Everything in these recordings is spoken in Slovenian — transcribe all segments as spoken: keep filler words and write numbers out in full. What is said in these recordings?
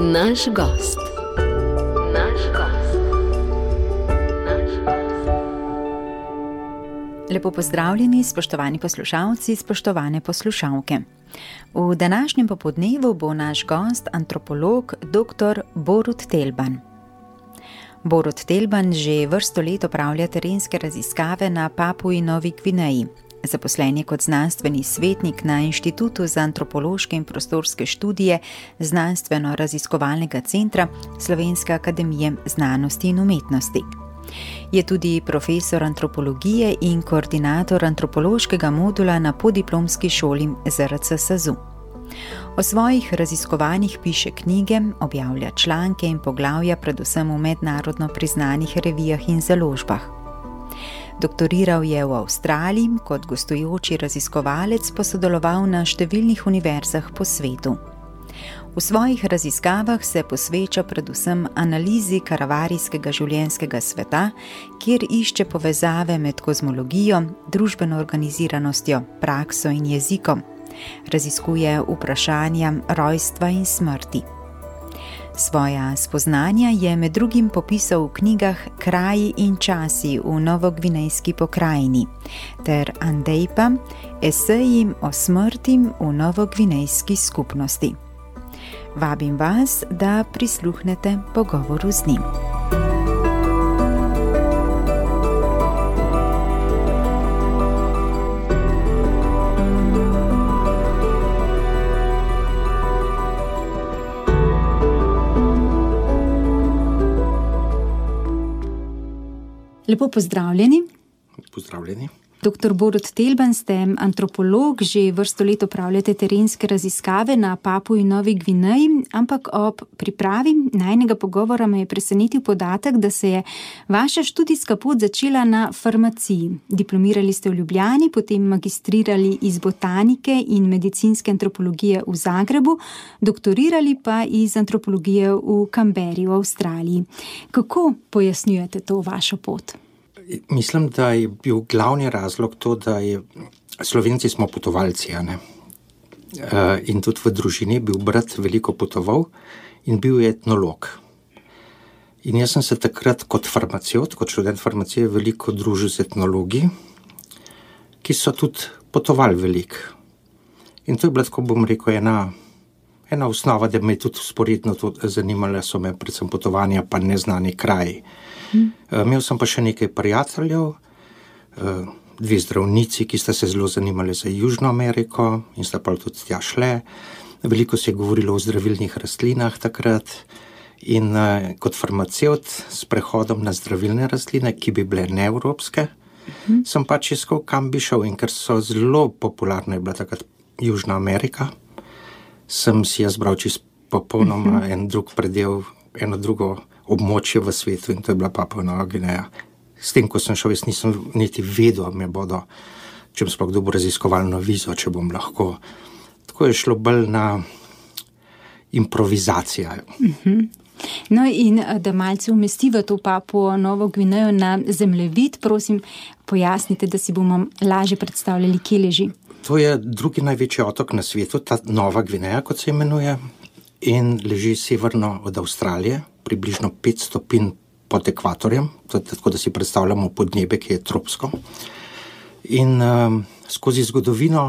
Naš gost. Naš gost. Naš gost. Lepo pozdravljeni, spoštovani poslušalci, spoštovane poslušalke. V današnjem popodnevu bo naš gost antropolog dr. Borut Telban. Borut Telban že vrsto let opravlja terenske raziskave na Papui Novi Gvineji. Zaposlen je kot znanstveni svetnik na Inštitutu za antropološke in prostorske študije Znanstveno-raziskovalnega centra Slovenske akademije znanosti in umetnosti. Je tudi profesor antropologije in koordinator antropološkega modula na podiplomski šoli Z R C SAZU. O svojih raziskovanjih piše knjige, objavlja članke in poglavja predvsem v mednarodno priznanih revijah in založbah. Doktoriral je v Avstraliji, kot gostujoči raziskovalec pa sodeloval na številnih univerzah po svetu. V svojih raziskavah se posveča predvsem analizi karavarijskega življenjskega sveta, kjer išče povezave med kozmologijo, družbeno organiziranostjo, prakso in jezikom. Raziskuje vprašanja rojstva in smrti. Svoja spoznanja je med drugim popisal v knjigah Kraji in časi v novogvinejski pokrajini ter Andejpa, eseji o smrti v novogvinejski skupnosti. Vabim vas, da prisluhnete pogovoru z njim. Lepo pozdravljeni. Pozdravljeni. doktor Borut Telban, ste antropolog, že vrsto let opravljate terenske raziskave na Papui Novi Gvineji, ampak ob pripravi najinega pogovora me je presenetil podatek, da se je vaša študijska pot začela na farmaciji. Diplomirali ste v Ljubljani, potem magistrirali iz botanike in medicinske antropologije v Zagrebu, doktorirali pa iz antropologije v Canberri v Avstraliji. Kako pojasnjujete to vašo pot? Mislim, da je bil glavni razlog to, da je Slovenci smo potovalci, a ne? Uh, in tudi v družini bil brat veliko potoval in bil je etnolog. In jaz sem se takrat kot farmacevt, kot študent farmacije veliko družil z etnologi, ki so tudi potovali veliko. In to je bila, tako bom rekel, ena, ena osnova, da me je tudi sporedno zanimala, so me predvsem potovanja pa neznani kraji. Hmm. Uh, imel sem pa še nekaj prijateljev, uh, dve zdravnici, ki sta se zelo zanimali za Južno Ameriko in sta pa tudi tja šle. Veliko se je govorilo o zdravilnih rastlinah takrat in uh, kot farmacevt s prehodom na zdravilne rastline, ki bi bile neevropske, hmm. sem pač iskal, kam bi šel, in ker so zelo popularne bila takrat Južna Amerika, sem si jaz bral čist popolnoma hmm. en drug predel, eno drugo območje v svetu, in to je bila Papua Nova Gvineja. S tem, ko sem šel, jaz nisem niti vedel, me bodo, če bom sploh dobil raziskovalno vizo, če bom lahko. Tako je šlo bolj na improvizacijo. Uh-huh. No in da malce umestiva to Papuo Novo Gvinejo na zemljevid, prosim, pojasnite, da si bomo lažje predstavljali, kje leži. To je drugi največji otok na svetu, ta Nova Gvineja, kot se imenuje, in leži severno od Avstralije, približno pet stopinj pod ekvatorjem, tako da si predstavljamo podnebje, ki je tropsko. In um, skozi zgodovino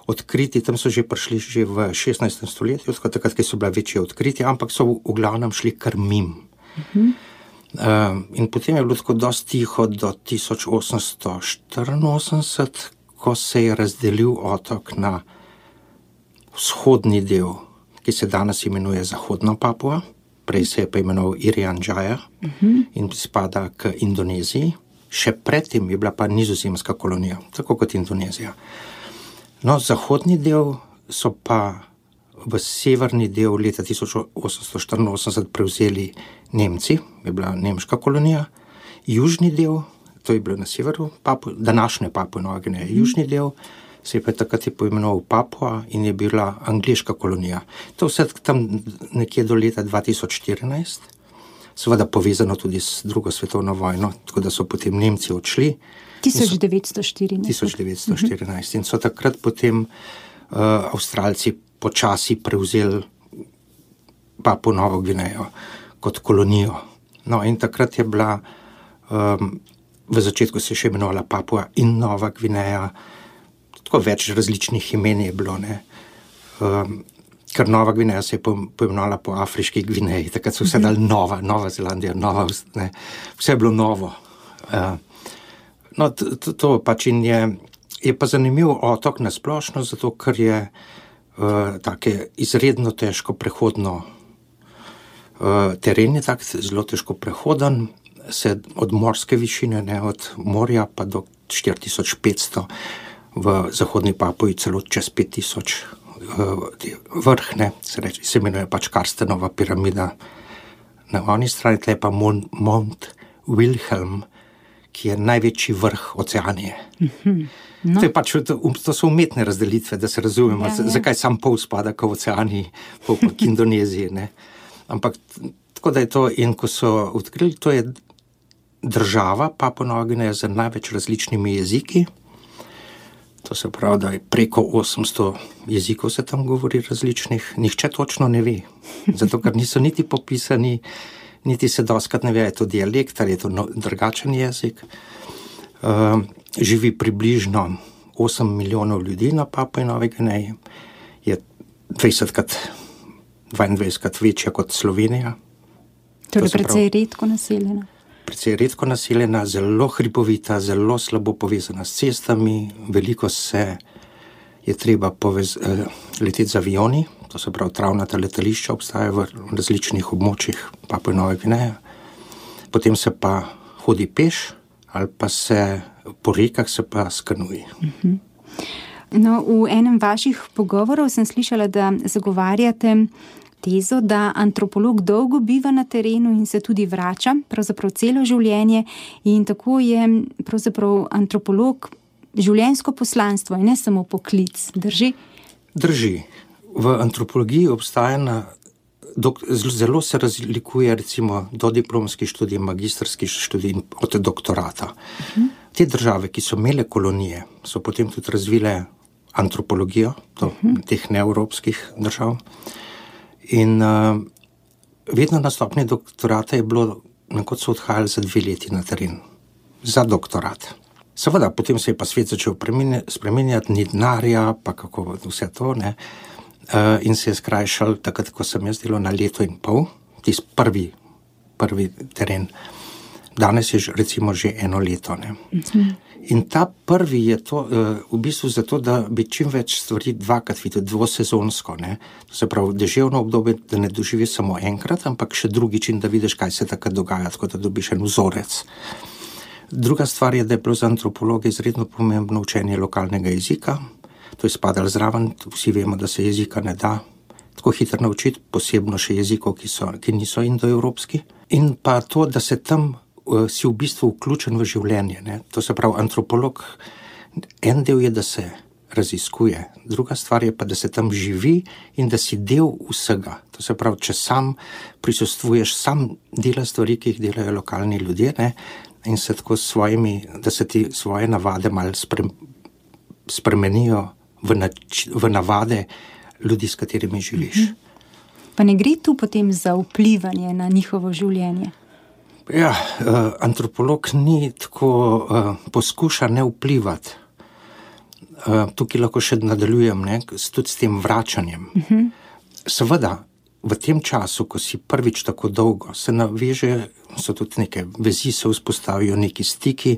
odkriti, tam so že prišli že v šestnajstem stoletju, takrat, ki so bila večje odkritja, ampak so v, v glavnem šli kar mimo. Uh-huh. Um, in potem je bilo tako dosti tiho do tisoč osemsto štiriinosemdeset, ko se je razdelil otok na vzhodni del, ki se danes imenuje Zahodna Papua, prej se je pa imenoval Irian Jaya uh-huh. in spada k Indoneziji. Še predtem je bila pa nizozemska kolonija, tako kot Indonezija. No, zahodni del so pa v severni del leta tisoč osemsto štiriinosemdeset prevzeli Nemci, je bila nemška kolonija. Južni del, to je bilo na severu, Papu, današnje Papue Nove Gvineje, uh-huh. južni del se je pa takrat je poimenoval Papua in je bila angleška kolonija. To vse tam nekje do leta dva tisoč štirinajst, seveda povezano tudi s drugo svetovno vojno, tako da so potem Nemci odšli. tisoč devetsto štirinajst. tisoč devetsto štirinajst in so takrat potem uh, Avstralci počasi prevzeli Papuo Novo Gvinejo kot kolonijo. No, in takrat je bila, um, v začetku se je še imenovala Papua in Nova Gvineja, tako več različnih imen je bilo, ne. Um, ker Nova Gvineja se je poimenovala po afriški Gvineji, takrat so vse dali Nova, Nova Zelandija, Nova, ne, vse je bilo novo. Uh, no, to, to pač in je, je pa zanimiv otok na splošno, zato ker je uh, take izredno težko prehodno uh, teren je tak, zelo težko prehoden, se od morske višine, ne, od morja pa do štiri tisoč petsto, v zahodni Papui celo čez pet tisoč vrh, ne, se reče, se imenuje pač Karstenova piramida. Na oni strani tle pa Mount, Mount Wilhelm, ki je največji vrh Oceanije. Mm-hmm. No. To je pač, to, to so umetne razdelitve, da se razumemo, ja, ja. zakaj sam pol spada k Oceaniji, pol k Indoneziji, ne. Ampak tako da je to, in ko so odkrili, to je država Papua Nova Gvineja z največ različnimi jeziki. To se pravi, da je preko osemsto jezikov se tam govori različnih, nihče točno ne ve, zato ker niso niti popisani, niti se doskrat ne ve, je to dialekt ali je to no, drugačen jezik. Uh, živi približno osem milijonov ljudi na Papui Novi Gvineji, je dvajsetkrat, dvaindvajsetkrat večja kot Slovenija. Torej precej redko naseljena. Precej redko naseljena, zelo hribovita, zelo slabo povezana s cestami, veliko se je treba povez, eh, leteti z avioni, to se pravi travnata letališča obstajajo v različnih območjih Papue Nove Gvineje, potem se pa hodi peš ali pa se po rekah se pa skanuji. Uh-huh. No, v enem vaših pogovorov sem slišala, da zagovarjate tezo, da antropolog dolgo biva na terenu in se tudi vrača, pravzaprav celo življenje, in tako je pravzaprav antropolog življenjsko poslanstvo in ne samo poklic. Drži? Drži. V antropologiji obstaja na, dok, zelo se razlikuje recimo dodiplomski študij, magistrski študij od doktorata. Uh-huh. Te države, ki so imele kolonije, so potem tudi razvile antropologijo, to, uh-huh. teh neevropskih držav. In uh, vedno na stopnji doktorata je bilo, nekod so odhajali za dve leti na teren, za doktorat. Seveda, potem se je pa svet začel spreminjati, ni denarja, pa kako vse to, ne. Uh, in se je skrajšal, takrat, ko sem jaz delal na leto in pol, tisti prvi, prvi teren. Danes je recimo že eno leto, ne. Uh-huh. In ta prvi je to uh, v bistvu zato, da bi čim več stvari dvakrat videl, dvosezonsko, ne. To se pravi, deževno obdobje, da ne doživi samo enkrat, ampak še drugič in da vidiš, kaj se takrat dogaja, tako da dobiš en vzorec. Druga stvar je, da je bilo za antropologe izredno pomembno učenje lokalnega jezika. To je spadalo zraven, vsi vemo, da se jezika ne da tako hitro naučiti, posebno še jezikov, ki, so, ki niso indoevropski. In pa to, da se tam si v bistvu vključen v življenje, ne. To se pravi, antropolog, en del je, da se raziskuje, druga stvar je pa, da se tam živi in da si del vsega. To se pravi, če sam prisostvuješ, sam delaš stvari, ki jih delajo lokalni ljudje, ne, in se tako s svojimi, da se ti svoje navade malo spre, spremenijo v, nač, v navade ljudi, s katerimi živiš. Mhm. Pa ne gre tu potem za vplivanje na njihovo življenje? Ja, uh, antropolog ni tako, uh, poskuša ne vplivati. Uh, tukaj lahko še nadaljujem, ne, tudi s tem vračanjem. Uh-huh. Seveda, v tem času, ko si prvič tako dolgo, se naveže, so tudi neke vezi, se vzpostavijo neki stiki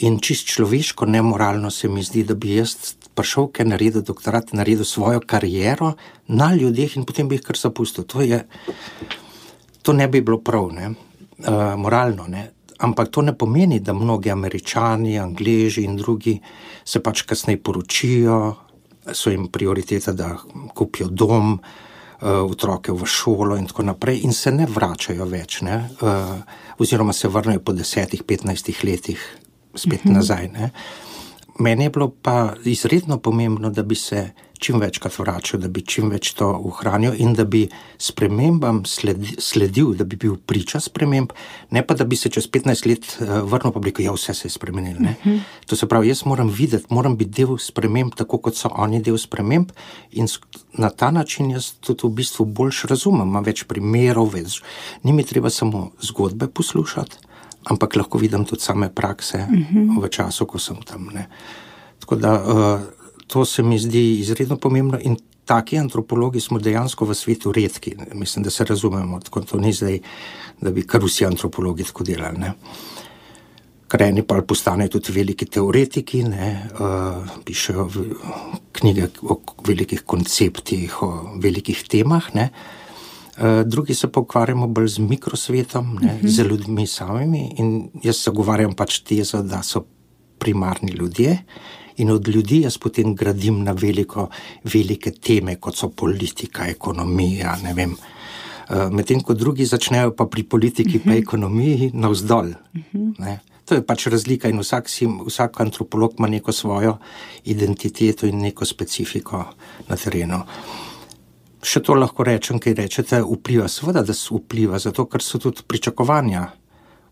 in čist človeško, nemoralno se mi zdi, da bi jaz prišel, ker naredil doktorat, naredil svojo kariero na ljudeh in potem bi jih kar zapustil. To je, to ne bi bilo prav, ne. Uh, moralno, ne. Ampak to ne pomeni, da mnogi Američani, Angleži in drugi se pač kasneje poročijo, so jim prioriteta, da kupijo dom, uh, otroke v šolo in tako naprej in se ne vračajo več, ne. Uh, oziroma se vrnejo po desetih, petnajstih letih spet uh-huh. nazaj, ne. Meni je bilo pa izredno pomembno, da bi se čim večkrat vračal, da bi čim več to ohranil in da bi spremembam sledi, sledil, da bi bil priča sprememb, ne pa da bi se čez petnajst let uh, vrnil pa bi rekel, ja, vse se je spremenilo. Ne? Uh-huh. To se pravi, jaz moram videti, moram biti del sprememb, tako kot so oni del sprememb in na ta način jaz tudi v bistvu boljš razumem, imam več primerov, več. Ni mi treba samo zgodbe poslušati, ampak lahko vidim tudi same prakse uh-huh. v času, ko sem tam. Ne? Tako da uh, to se mi zdi izredno pomembno in taki antropologi smo dejansko v svetu redki. Mislim, da se razumemo, tako to ni zdaj, da bi kar vsi antropologi tako delali. Ne. Ker eni pa postanejo tudi veliki teoretiki, ne, uh, pišejo v, knjige o velikih konceptih, o velikih temah, ne. Uh, drugi se pa ukvarjamo bolj z mikrosvetom, ne, uh-huh. z ljudmi samimi in jaz zagovarjam pač tezo, da so primarni ljudje, in od ljudi jaz potem gradim na veliko, velike teme, kot so politika, ekonomija, ne vem. Medtem, ko drugi začnejo pa pri politiki, uh-huh. pa ekonomiji navzdol. Uh-huh. Ne. To je pač razlika in vsak, si, vsak antropolog ima neko svojo identiteto in neko specifiko na terenu. Še to lahko rečem, kaj rečete, vpliva, seveda, da se vpliva, zato ker so tudi pričakovanja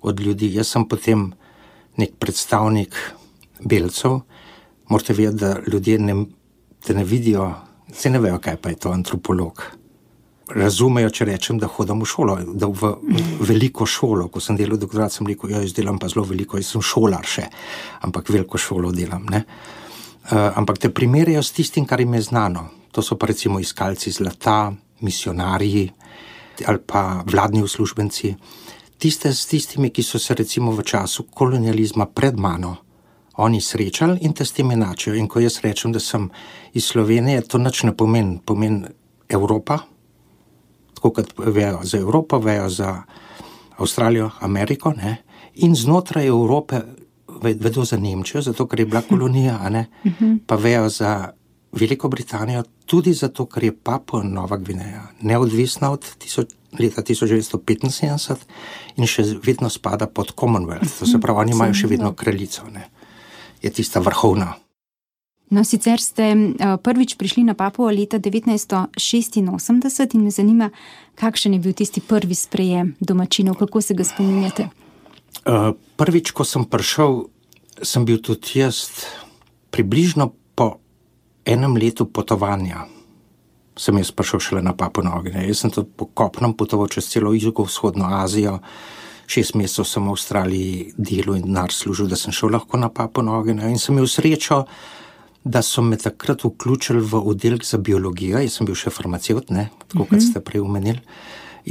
od ljudi. Jaz sem potem nek predstavnik belcev, morate vedeti, da ljudje ne, te ne vidijo, se ne vejo, kaj pa je to antropolog. Razumejo, če rečem, da hodim v šolo, da v veliko šolo, ko sem delal doktorat, sem rekel, ja, jaz delam pa zelo veliko, jaz sem šolar še, ampak veliko šolo delam, ne. Uh, ampak te primerjajo s tistim, kar jim je znano. To so pa recimo iskalci zlata, misionarji ali pa vladni uslužbenci. Tiste s tistimi, ki so se recimo v času kolonializma pred mano oni srečali in te s tem enačijo. In ko jaz rečem, da sem iz Slovenije, to nič ne pomeni. Pomeni Evropa, tako kot vejo za Evropo, vejo za Avstralijo, Ameriko, ne? In znotraj Evrope vedo za Nemčijo, zato ker je bila kolonija, a ne? Pa vejo za Veliko Britanijo, tudi zato, ker je Papua Nova Gvineja neodvisna od tisoč, leta tisoč devetsto petinsedemdeset in še vedno spada pod Commonwealth. To se pravi, oni imajo še vedno kraljico, ne? Je tista vrhovna. No, sicer ste prvič prišli na Papuo leta devetnajststo šestinosemdeset in me zanima, kakšen je bil tisti prvi sprejem domačinov, kako se ga spominjate? Uh, prvič, ko sem prišel, sem bil tudi jaz približno po enem letu potovanja. Sem jaz prišel šele na Papuo Novo Gvinejo. Jaz sem tudi po kopnem potoval čez celo jugovzhodno Azijo. Šest mesecev sem v Avstraliji delal in denar služil, da sem šel lahko na Papuo Novo Gvinejo. In sem imel srečo, da so me takrat vključili v oddelek za biologijo. Jaz sem bil še farmacevt, ne, tako kot ste prej omenili.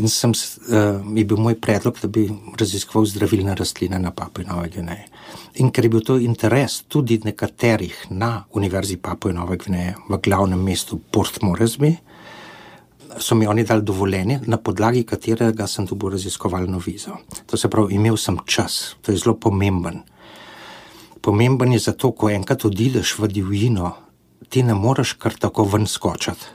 In sem, uh, je bil moj predlog, da bi raziskoval zdravilne rastline na Papui Novi Gvineji. In ker je bil to interes tudi nekaterih na Univerzi Papui Nove Gvineje v glavnem mestu Port Moresby, so mi oni dali dovoljenje, na podlagi katerega sem dobil raziskovalno vizo. To se pravi, imel sem čas, to je zelo pomemben. Pomemben je zato, ko enkrat odideš v divjino, ti ne moreš kar tako ven skočati,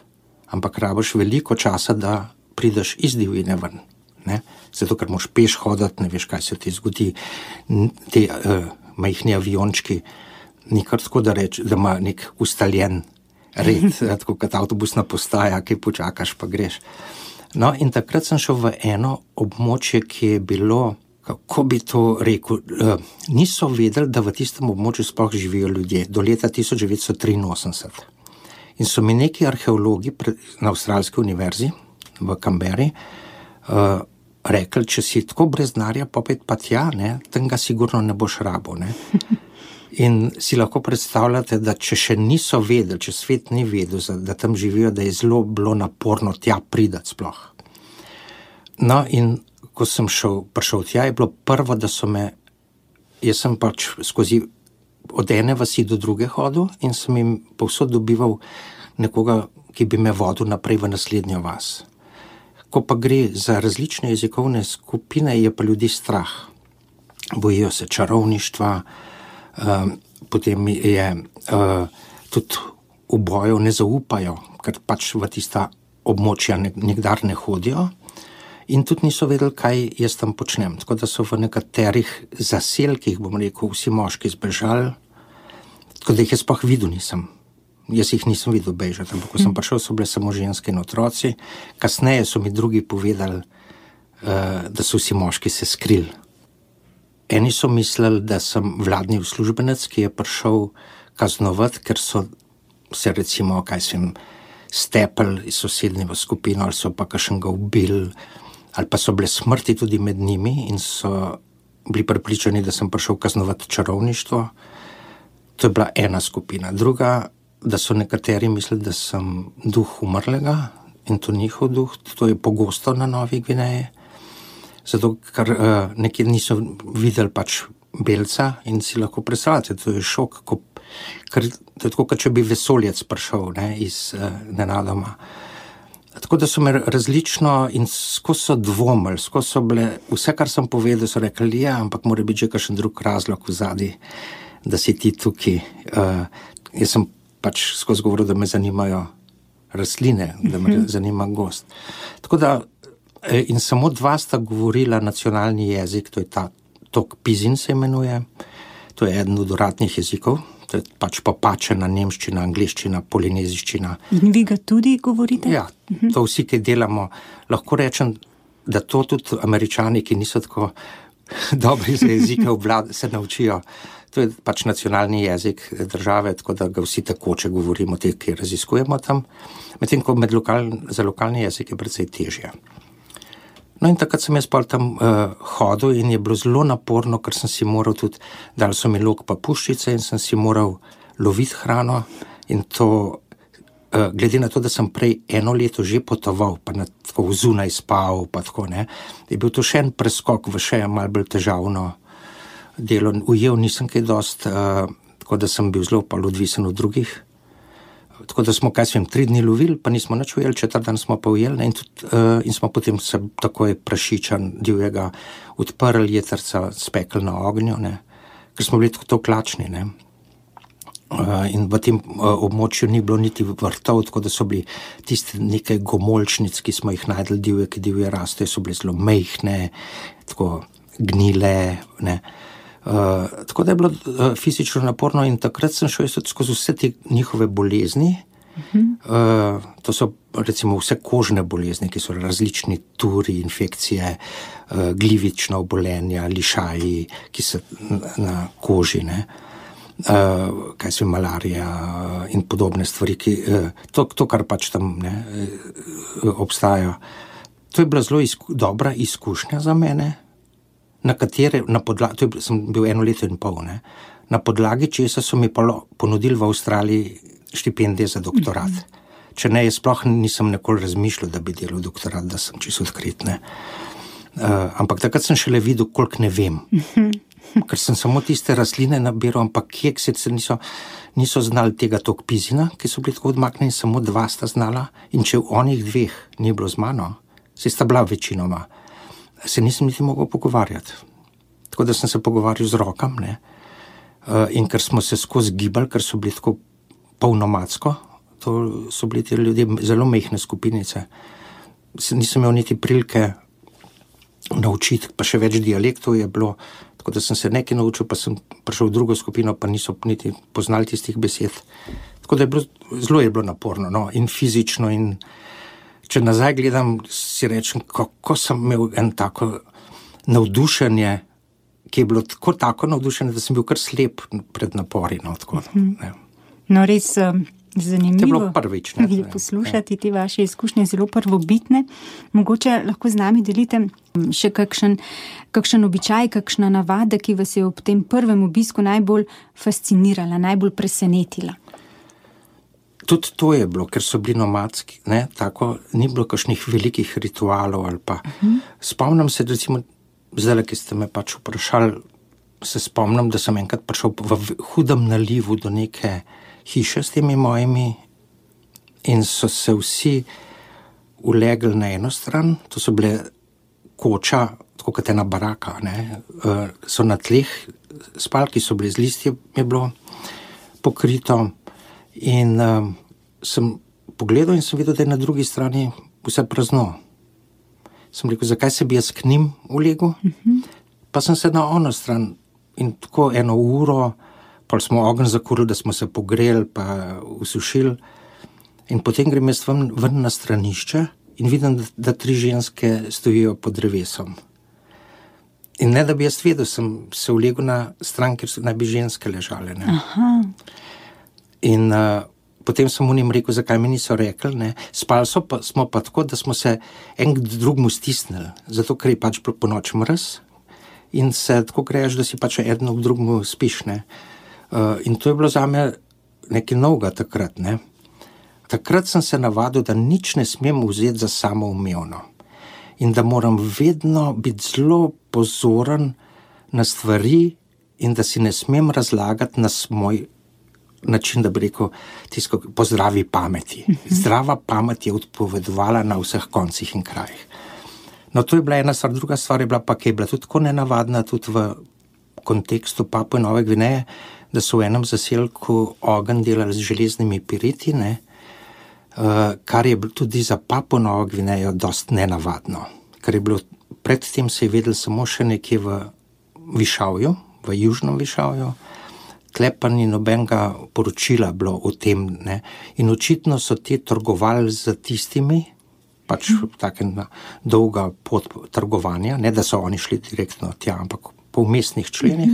ampak rabiš veliko časa, da prideš iz divjine ven. Ne? Zato, ker moš peš hoditi, ne veš, kaj se ti zgodi. Te uh, majhni aviončki, ni kar tako, da reč, da ima nek ustaljen red, tako kot avtobusna postaja, ki počakaš, pa greš. No, in takrat sem šel v eno območje, ki je bilo, kako bi to rekel, uh, niso vedeli, da v tistem območju sploh živijo ljudje, do leta tisoč devetsto triinosemdeset. In so mi neki arheologi na Avstralski univerzi v Canberri uh, rekli, če si tako brez denarja popet pa tja, ne, tam ga sigurno ne boš rabo, ne. In si lahko predstavljate, da če še niso vedeli, če svet ni vedel, da tam živijo, da je zelo bilo naporno tja pridati sploh. No, in ko sem šel, prišel tja, je bilo prvo, da so me, jaz sem pač skozi od ene vasi do druge hodil in sem jim povsod dobival nekoga, ki bi me vodil naprej v naslednjo vas. Ko pa gre za različne jezikovne skupine, je pa ljudi strah. Bojijo se čarovništva, uh, potem je uh, tudi v boju ne zaupajo, ker pač v tista območja nikdar ne hodijo in tudi niso vedeli, kaj jaz tam počnem. Tako da so v nekaterih zaselkih, bom rekel, vsi moški zbežali, tako da jih jaz sploh videl nisem. Jaz jih nisem videl bežati, ampak ko sem prišel, so bile samo ženske in otroci. Kasneje so mi drugi povedali, uh, da so vsi moški se skrili. Eni so mislili, da sem vladni uslužbenec, ki je prišel kaznovati, ker so se recimo, kaj sem, stepel iz sosednje skupine, ali so pa kakšnega ubili, ali pa so bile smrti tudi med njimi in so bili prepričani, da sem prišel kaznovati čarovništvo. To je bila ena skupina. Druga, da so nekateri mislili, da sem duh umrlega in to njihov duh. To je pogosto na Novi Gvineji. Zato, ker uh, nekje niso videli pač belca in si lahko predstavljate, to je šok, ko, ker to je tako, kot če bi vesoljec prišel, ne, iz uh, nenadoma. Tako da so me različno in skozi so dvomili, skozi so bile, vse, kar sem povedal, so rekli, ja, ampak mora biti že kakšen drug razlog v zadnji, da si ti tukaj. Uh, jaz sem pač skozi govoril, da me zanimajo rastline, da me uh-huh. zanima gost. Tako da, in samo dva sta govorila nacionalni jezik, to je ta tok Pizin se imenuje, to je eden od uradnih jezikov, to je pač popačena nemščina, angliščina, polineziščina. In vi ga tudi govorite? Ja, to vsi, ki delamo. Lahko rečem, da to tudi Američani, ki niso tako dobri za jezike, obvlad, se naučijo. To je pač nacionalni jezik države, tako da ga vsi tekoče govorimo, te, ki raziskujemo tam. Medtem, ko med lokal, za lokalni jezik je precej težje. No in takrat sem jaz pol tam uh, hodil in je bilo zelo naporno, ker sem si moral tudi, dali so mi lok pa puščice in sem si moral loviti hrano in to, uh, glede na to, da sem prej eno leto že potoval, pa na, tako zunaj spal, pa tako, ne, je bil to še en preskok v še malo bolj težavno delo. Ujel nisem kaj dost, uh, tako da sem bil zelo pa odvisen od drugih. Tako da smo, kaj svem, tri dni lovili, pa nismo nič ujeli, četrt dan smo pa ujeli, ne, in, tudi, uh, in smo potem se takoj prašičan divjega odprli, jetrca spekli na ognju, ne, ker smo bili tako klačni, ne. Uh, in v tem uh, območju ni bilo niti vrtov, tako da so bili tiste nekaj gomolčnic, ki smo jih najdeli divje, ki divje raste, so bile zelo mejhne, tako gnile, ne. Uh, tako da je bilo uh, fizično naporno in takrat sem šel skozi vse te njihove bolezni. Uh-huh. Uh, to so recimo vse kožne bolezni, ki so različni turi, infekcije, uh, glivična obolenja, lišaji, ki so na, na koži, ne. Uh, kaj so malarija in podobne stvari, ki, uh, to, to, kar pač tam ne, uh, obstaja. To je bila zelo izku, dobra izkušnja za mene, na katere, na podlagi, to je, sem bil eno leto in pol, ne, na podlagi česa so mi ponudili v Avstraliji štipendije za doktorat. Mm-hmm. Če ne, jaz sploh nisem nikoli razmišljal, da bi delal doktorat, da sem čisto odkrit, ne. Uh, ampak takrat sem šele videl, koliko ne vem. Mm-hmm. Ker sem samo tiste rastline nabiral, ampak kekse se niso, niso znali tega tok Pizina, ki so bili tako odmaknjeni, samo dva sta znala, in če v onih dveh ni bilo z mano, se sta bila večinoma, se nisem niti mogel pogovarjati. Tako da sem se pogovarjal z rokam, ne. Uh, in ker smo se skozi gibali, ker so bili tako polnomadsko, to so bili ti ljudje zelo mehne skupinice. Se nisem imel niti prilike naučiti, pa še več dialektov je bilo, tako da sem se nekaj naučil, pa sem prišel v drugo skupino, pa niso niti poznali tistih besed. Tako da je bilo, zelo je bilo naporno, no, in fizično, in če nazaj gledam, si rečem, kako sem imel en tako navdušenje, ki je bilo tako, tako navdušenje, da sem bil kar slep pred napori. No, tako, ne. No res um, zanimivo. To je bilo prvič. Ne, je poslušati te vaše izkušnje, zelo prvobitne. Mogoče lahko z nami delite še kakšen, kakšen običaj, kakšna navada, ki vas je ob tem prvem obisku najbolj fascinirala, najbolj presenetila. Tudi to je bilo, ker so bili nomadski, ne, tako, ni bilo kakšnih velikih ritualov ali pa. Uh-huh. Spomnim se, recimo, zdaj, ki ste me pač vprašali, se spomnim, da sem enkrat prišel v hudem nalivu do neke hiše s temi mojimi in so se vsi ulegli na eno stran, to so bile koča, tako kot ena baraka, ne, uh, so na tleh spalki, so bile z listje, je bilo pokrito. In um, sem pogledal in sem videl, da je na drugi strani vse prazno. Sem rekel, zakaj se bi jaz k njim ulegel? Uh-huh. Pa sem se na ono stran in tako eno uro pol smo ogenj zakurili, da smo se pogreli, pa usušili. In potem grem jaz ven, ven na stranišče in vidim, da, da tri ženske stojijo pod drevesom. In ne, da bi jaz vedel, sem se ulegel na stran, kjer so naj bi ženske ležale. Ne. Aha. In uh, potem sem unim rekel, zakaj mi niso rekli, ne. Spali so pa, smo pa tako, da smo se en k drugmu stisnili, zato ker je pač po noč mraz in se tako greš, da si pač eden k drugmu spiš. Ne. Uh, in to je bilo zame nekaj novega takrat. Ne. Takrat sem se navadil, da nič ne smem vzeti za samoumevno. In da moram vedno biti zelo pozoren na stvari in da si ne smem razlagati na moj način, da bi rekel, tisto po zdravi pameti. Zdrava pamet je odpovedovala na vseh koncih in krajih. No, to je bila ena stvar, druga stvar je bila pa, ki je bila tudi tako nenavadna, tudi v kontekstu Papue Nove Gvineje, da so v enem zaselku ogenj delali z železnimi piriti, ne, Uh, kar je tudi za Papuo Novo Gvinejo dost nenavadno. Ker je bilo, predtem se je vedel samo še nekje v Višavju, v južnem Višavju, tle pa ni nobenega poročila bilo o tem, ne. In očitno so ti trgovali z tistimi, pač taka dolga pot trgovanja, ne da so oni šli direktno tja, ampak po umestnih členih,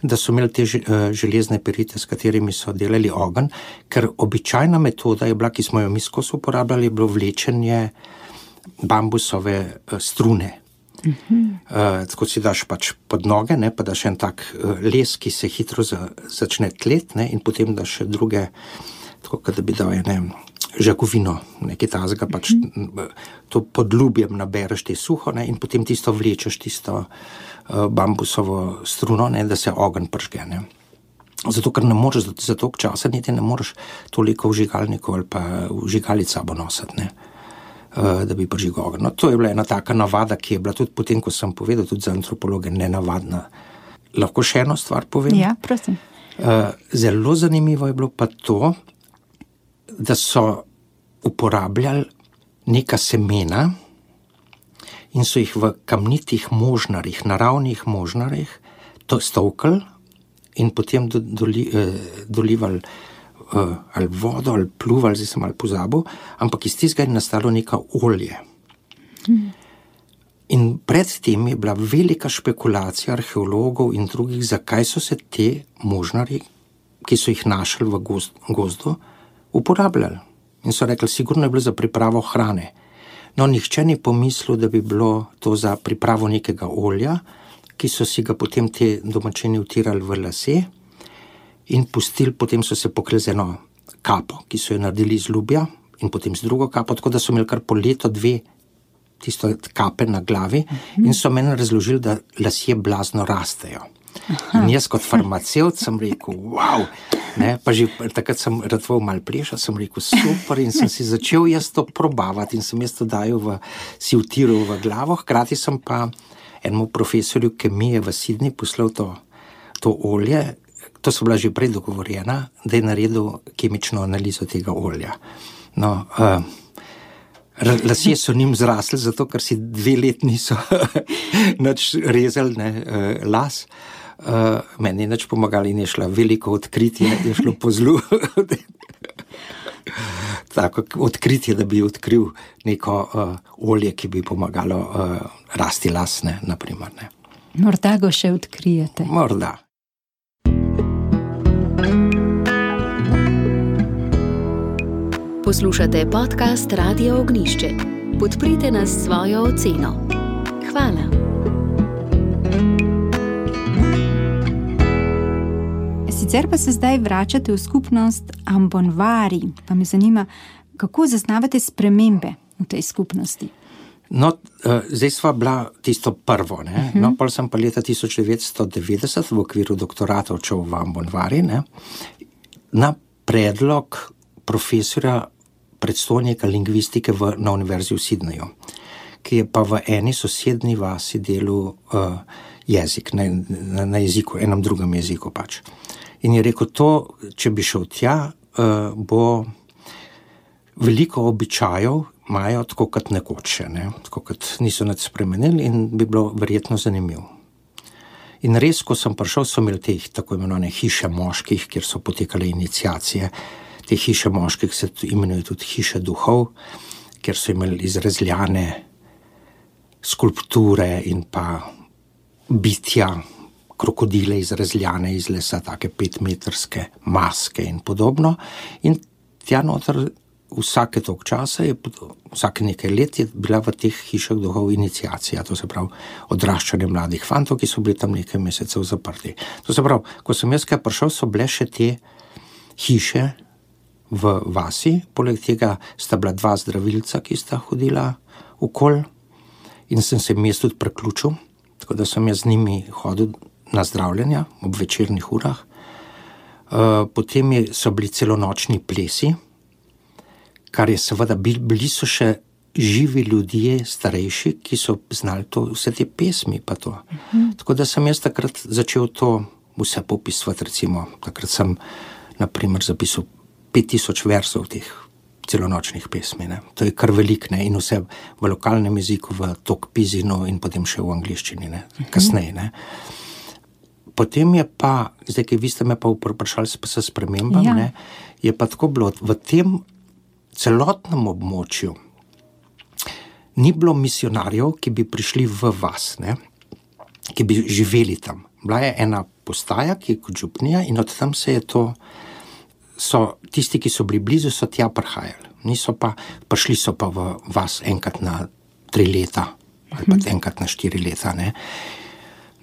da so imeli te železne perite, s katerimi so delali ogenj, ker običajna metoda je bila, ki smo jo mi skozi uporabljali, je bilo vlečenje bambusove strune. Uh-huh. Uh, tako si daš pač pod noge, ne, pa daš en tak les, ki se hitro za, začne tlet, ne, in potem daš še druge, tako da bi dal ene žakovino, nekaj tazga, pač uh-huh. to pod ljubjem nabereš te suho, ne, in potem tisto vlečeš, tisto bambusovo struno, ne, da se ogenj pržge. Ne. Zato, ker ne moreš za toliko časa, niti ne moreš toliko vžigalnikov ali pa vžigalic sabo nositi, ne, da bi pržgal ogenj. No, to je bila ena taka navada, ki je bila tudi potem, ko sem povedal, tudi za antropologe nenavadna. Lahko še eno stvar povem? Ja, prosim. Zelo zanimivo je bilo pa to, da so uporabljali neka semena in so jih v kamnitih možnarjih, naravnih možnarjih, to stovkali in potem do, doli, eh, dolivali eh, ali vodo, ali pluvali, zdaj sem ali pozabil, ampak iz tistega je nastalo neka olje. Hmm. In predtem je bila velika špekulacija arheologov in drugih, zakaj so se te možnarji, ki so jih našli v gozd, gozdu, uporabljali. In so rekli, sigurno je bilo za pripravo hrane. No, nihče ni pomislil, da bi bilo to za pripravo nekega olja, ki so si ga potem te domačini vtirali v lase in pustili, potem so se pokrili z eno kapo, ki so jo naredili iz lubja in potem z drugo kapo, tako da so imeli kar po leto dve tisto kape na glavi in so meni razložili, da lasje blazno rastejo. In jaz kot farmacevt sem rekel, wow, ne, pa že takrat sem ratval mal pleša, sem rekel, super, in sem si začel jaz to probavati in sem jaz to dajal v, si vtiral v glavo, hkrati sem pa enemu profesorju kemije v Sydney poslal to, to olje, to so bila že prej dogovorjena, da je naredil kemično analizo tega olja. No, uh, lasje so njim zrasli, zato ker si dve let niso nič rezali, ne, uh, las. Uh, meni je nič pomagali in je šla veliko odkritje, je šlo po zlu. Tako odkritje, da bi odkril neko uh, olje, ki bi pomagalo uh, rasti las, ne, naprimer. Ne. Morda ga še odkrijete. Morda. Poslušate podcast Radio Ognišče. Podprite nas s svojo oceno. Hvala. Sicer pa se zdaj vračate v skupnost Ambonvari, pa me zanima, kako zaznavate spremembe v tej skupnosti? No, uh, zdaj sva bila tisto prvo, ne. Uh-huh. No, pol sem pa leta tisoč devetsto devetdeset v okviru doktorata odšel v Ambonvari, ne, na predlog profesorja predstojnika lingvistike v, na univerzi v Sydneyju, ki je pa v eni sosednji vasi delal uh, jezik, na, na, na jeziku, enem drugem jeziku pač. In je rekel, to, če bi šel tja, uh, bo veliko običajev imajo tako kot nekoč, ne? Tako kot niso nič spremenili in bi bilo verjetno zanimivo. In res, ko sem prišel, so imeli te tako imenovane hiše moških, kjer so potekale iniciacije. Te hiše moških se imenujejo tudi hiše duhov, kjer so imeli izrezljane skulpture in pa bitja, krokodile izrezljane iz lesa, take petmetrske maske in podobno. In tja noter vsake toliko časa, je, vsake nekaj let je bila v teh hišah duhov iniciacija, to se pravi odraščanje mladih fantov, ki so bili tam nekaj mesecev zaprti. To se pravi, ko sem jaz kaj prišel, so bile še te hiše v vasi, poleg tega sta bila dva zdravilca, ki sta hodila okoli in sem se jim jaz tudi preključil, tako da sem jaz z njimi hodil na zdravljenja ob večernih urah. Potem so bili celonočni plesi, kar je seveda, bili so še živi ljudje, starejši, ki so znali to, vse te pesmi pa to. Uh-huh. Tako da sem jaz takrat začel to vse popisovati, recimo, takrat sem, na primer, zapisal pet tisoč versov teh celonočnih pesmi, ne. To je kar velik, ne, in vse v lokalnem jeziku, v Tokpizinu in potem še v angliščini, ne, kasneje, ne. Potem je pa, zdaj, ki vi ste me pa vprašali s spremembam, ja. Ne, je pa tako bilo, v tem celotnem območju ni bilo misionarjev, ki bi prišli v vas, ne, ki bi živeli tam. Bila je ena postaja, ki je kot župnija in od tam se je to, so tisti, ki so bili blizu, so tja prihajali. Niso pa, prišli so pa v vas enkrat na tri leta ali pa enkrat na štiri leta, ne.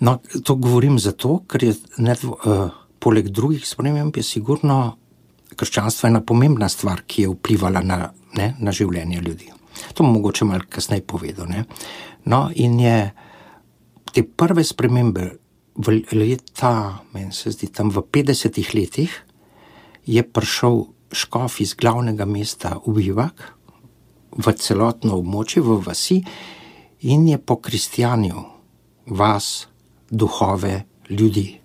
No, to govorim zato, ker je ne, uh, poleg drugih sprememb je sigurno krščanstvo ena pomembna stvar, ki je vplivala na, ne, na življenje ljudi. To bom mogoče malo kasneje povedal, ne. No, in je te prve spremembe v leta, meni se zdi, tam v petdesetih letih je prišel škof iz glavnega mesta v Bivak, v celotno območje, v vasi in je pokristjanil vas, duhove, ljudi.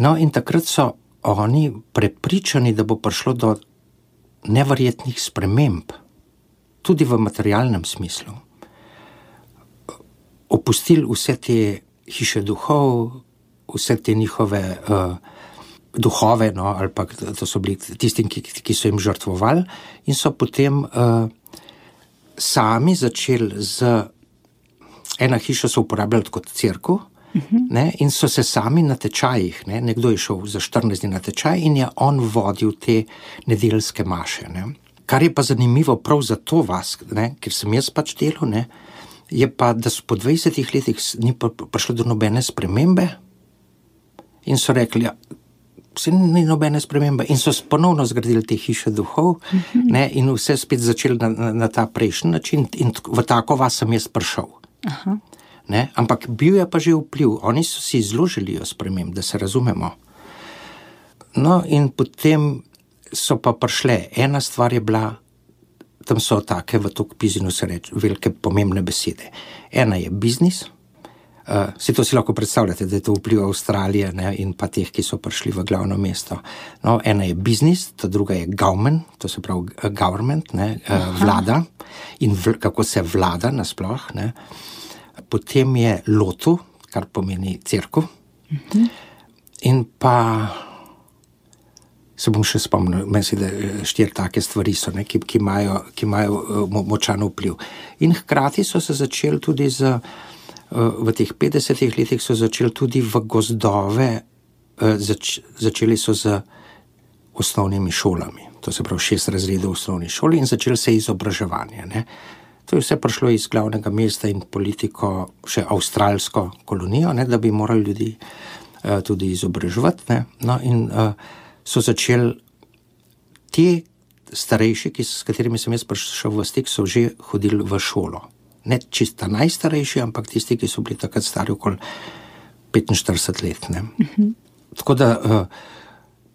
No, in takrat so oni prepričani, da bo prišlo do neverjetnih sprememb, tudi v materialnem smislu. Opustili vse te hiše duhov, vse te njihove uh, duhove, no, ali pa to so bili tisti, ki, ki so jim žrtvovali, in so potem uh, sami začeli z ena hiša so uporabljali kot cerkev, ne, in so se sami na tečajih, ne, nekdo je šel za štirinajst dni na tečaj in je on vodil te nedeljske maše, ne. Kar je pa zanimivo prav za to vas, ne, ker sem jaz pač delal, ne, je pa, da so po dvajsetih letih ni prišlo do nobene spremembe in so rekli, ja, vse ni nobene spremembe in so ponovno zgradili te hiše duhov, mm-hmm. ne, in vse spet začeli na, na, na ta prejšnji način in v tako vas sem jaz prišel. Aha. Ne, ampak bil je pa že vpliv, oni so si zelo želijo sprememb, da se razumemo. No, in potem so pa prišle, ena stvar je bila, tam so take v Tokpizinu se reči, velike pomembne besede. Ena je biznis, uh, si to si lahko predstavljate, da je to vpliv Avstralije, ne, in pa teh, ki so prišli v glavno mesto. No, ena je biznis, ta druga je government, to se pravi government, ne, uh, vlada in v, kako se vlada nasploh, ne. Potem je lotu, kar pomeni cerkev, uh-huh. in pa se bom še spomnil, meni da štiri take stvari so, ne, ki, ki imajo, ki imajo močan vpliv. In hkrati so se začeli tudi z, v teh petdesetih letih so začeli tudi v gozdove, zač, začeli so z osnovnimi šolami, to se pravi šest razredov v osnovni šoli in začeli se izobraževanje, ne. To je vse prišlo iz glavnega mesta in politiko, še avstralsko kolonijo, ne, da bi morali ljudi uh, tudi izobraževati, ne. No, in uh, so začeli ti starejši, ki, s katerimi sem jaz prišel v stik, so že hodili v šolo. Ne čisto najstarejši, ampak tisti, ki so bili takrat stari okoli petinštirideset let, ne. Uh-huh. Tako da uh,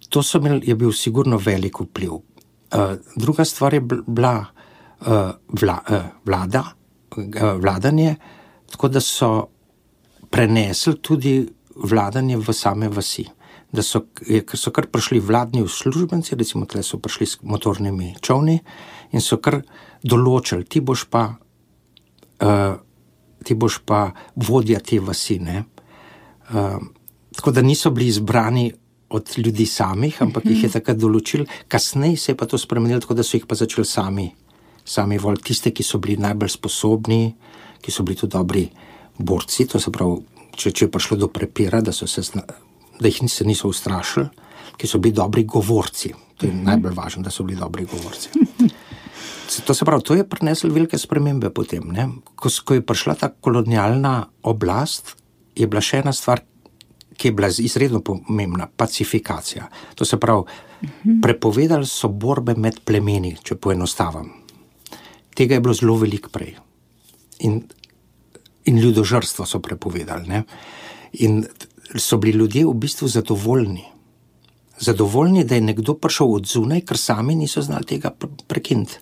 to so imeli, je bil sigurno velik vpliv. Uh, druga stvar je bila Uh, vla, uh, vlada, uh, vladanje, tako da so prenesli tudi vladanje v same vasi. Da so, so kar prišli vladni uslužbenci, recimo tle so prišli s motornimi čovni in so kar določili, ti boš pa, uh, ti boš pa vodja te vasi, ne. Uh, tako da niso bili izbrani od ljudi samih, ampak jih je takrat določil. Kasneje se je pa to spremenilo, tako da so jih pa začeli sami, sami voliti tiste, ki so bili najbolj sposobni, ki so bili tudi dobri borci, to se pravi, če, če je prišlo do prepira, da, so se, da jih se niso ustrašili, ki so bili dobri govorci. To je najbolj važno, da so bili dobri govorci. To se pravi, to je prineslo velike spremembe potem. Ne? Ko, ko je prišla ta kolonialna oblast, je bila še ena stvar, ki je bila izredno pomembna, pacifikacija. To se pravi, prepovedali so borbe med plemeni, če poenostavim. Tega je bilo zelo veliko prej. In, in ljudožrstvo so prepovedali. Ne? In so bili ljudje v bistvu zadovoljni. Zadovoljni, da je nekdo prišel od zunaj, ker sami niso znali tega prekiniti.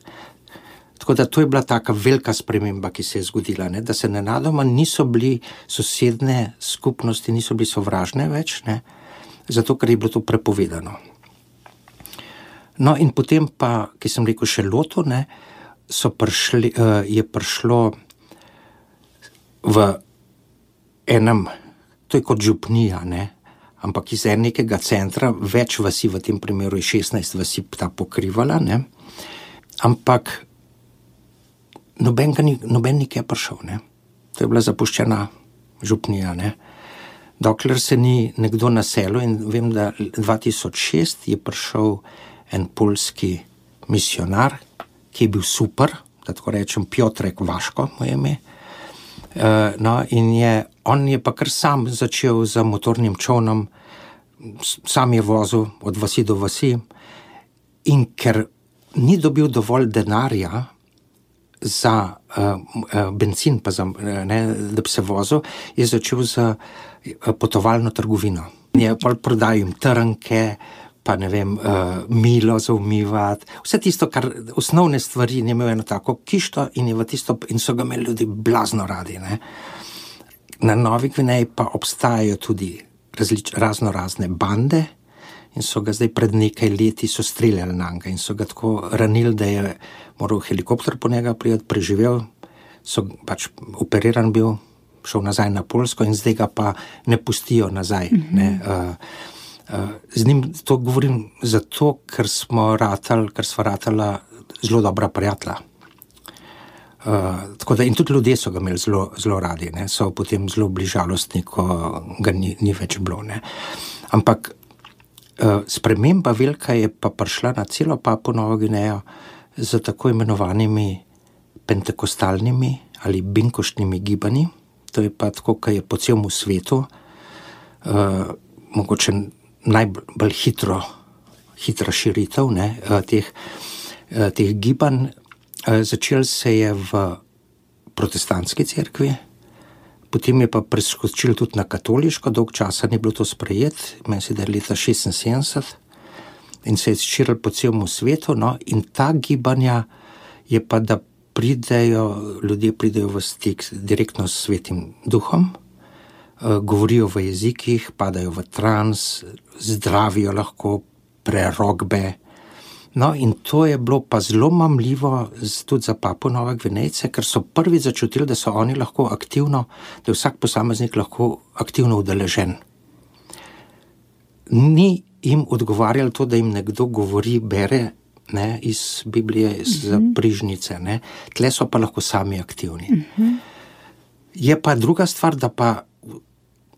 Tako da to je bila taka velika sprememba, ki se je zgodila, ne? Da se nenadoma niso bili sosedne skupnosti, niso bili sovražne več, ne? Zato, ker je bilo to prepovedano. No in potem pa, ki sem rekel še Loto, ne, so prišli, uh, je prišlo v enem, to je kot župnija, ne, ampak iz enega centra, več vasi, v tem primeru je šestnajst vasi ta pokrivala, ne, ampak noben, ni, noben nikje prišel, ne. To je bila zapuščena župnija, ne. Dokler se ni nekdo naselil in vem, da dva tisoč šest je prišel en poljski misionar, ki je bil super, da tako rečem, Piotrek Vaško, moje ime. Uh, no, in je, on je pa kar sam začel z motornim čovnom, sam je vozil od vasi do vasi in ker ni dobil dovolj denarja za uh, uh, benzin, pa za, ne, da bi se vozil, je začel za uh, potovalno trgovino. Je pa prodajal jim trnke, pa ne vem, uh, milo za umivati, vse tisto, kar osnovne stvari, je imel eno tako kišto in, je v tisto, in so ga imeli ljudi blazno radi. Ne. Na Novi Gvineji pa obstajajo tudi različ, razno razne bande in so ga zdaj pred nekaj leti so streljali na njega in so ga tako ranili, da je moral helikopter po njega prijeti, preživel, so pač operiran bil, šel nazaj na Poljsko in zdaj ga pa ne pustijo nazaj. Mm-hmm. Ne, uh, uh, z njim to govorim zato, ker smo ratali, ker sva ratala zelo dobra prijatelja. Uh, tako da in tudi ljudje so ga imeli zelo, zelo radi, ne, so potem zelo bili žalostni, ko ga ni, ni več bilo. Ne. Ampak uh, sprememba velika je pa prišla na celo Papuo Novo Gvinejo z tako imenovanimi pentekostalnimi ali binkoštnimi gibanji. To je pa tako, kaj je po celem svetu uh, mogoče najbolj hitro, hitra širitev, ne, uh, teh, uh, teh gibanj. Uh, začel se je v protestantski cerkvi, potem je pa preskočil tudi na katoliško, dolg časa ni bilo to sprejet, meni se da je leta šestinsedemdeset in se je širil po celem svetu, no, in ta gibanja je pa, da pridejo, ljudje pridejo v stik direktno s Svetim Duhom, uh, govorijo v jezikih, padajo v trans, zdravijo lahko prerokbe. No, in to je bilo pa zelo mamljivo tudi za Papuo Nove Gvinejce, ker so prvi začutili, da so oni lahko aktivno, da je vsak posameznik lahko aktivno udeležen. Ni jim odgovarjalo to, da jim nekdo govori, bere, ne, iz Biblije, iz mm-hmm. prižnice, ne. Tle so pa lahko sami aktivni. Mm-hmm. Je pa druga stvar, da pa,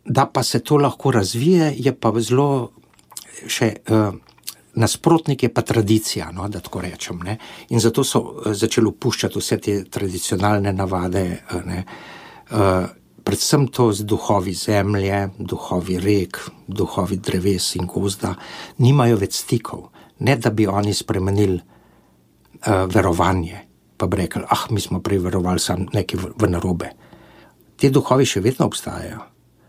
da pa se to lahko razvije, je pa zelo še... Uh, nasprotnik je pa tradicija, no, da tako rečem, ne. In zato so začeli opuščati vse te tradicionalne navade, ne. Uh, predvsem to z duhovi zemlje, duhovi rek, duhovi dreves in gozda, nimajo več stikov. Ne, da bi oni spremenili uh, verovanje, pa bi rekli, ah, mi smo prej verovali sam nekaj v, v narobe. Te duhovi še vedno obstajajo,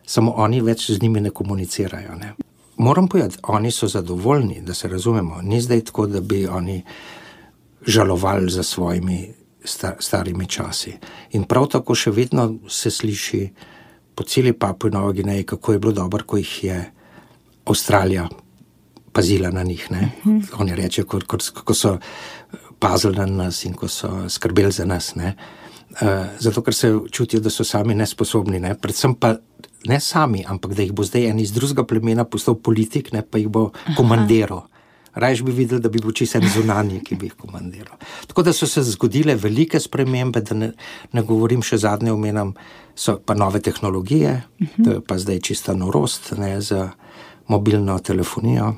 samo oni več z njimi ne komunicirajo, ne. Moram povedati, oni so zadovoljni, da se razumemo. Ni zdaj tako, da bi oni žalovali za svojimi star, starimi časi. In prav tako še vedno se sliši po celi Papuo Novi Gvineji, kako je bilo dobro, ko jih je Avstralija pazila na njih. Ne? Mm-hmm. Oni rečejo, kako so pazili na nas in ko so skrbeli za nas. Ne? Uh, zato, ker se čutijo, da so sami nesposobni. Ne? Predvsem pa ne sami, ampak da jih bo zdaj en iz drugega plemena postal politik, ne, pa jih bo komandiral. Rajš bi videl, da bi bil čisto en zunanji, ki bi jih komandiral. Tako da so se zgodile velike spremembe, da ne, ne govorim še zadnje omenam, so pa nove tehnologije, uh-huh. To je pa zdaj čista norost, ne, za mobilno telefonijo.